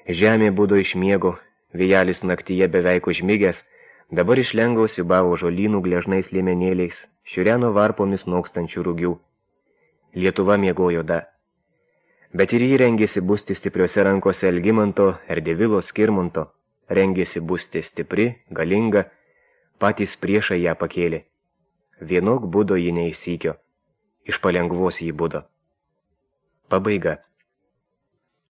žemė budo iš miego, vėjelis naktyje beveik užmigęs, dabar iš lengaus siūbavo žolynų gležnais liemenėliais, šiureno varpomis nokstančių rūgių. Lietuva miegojo da. Bet ir jį rengėsi būsti stipriose rankose Algimanto ir Divilo Skirmanto, rengėsi būsti stipri, galinga, patys priešai ją pakėlė. Vienok budo ji neįsykio, iš palengvos jį budo. Pabaiga.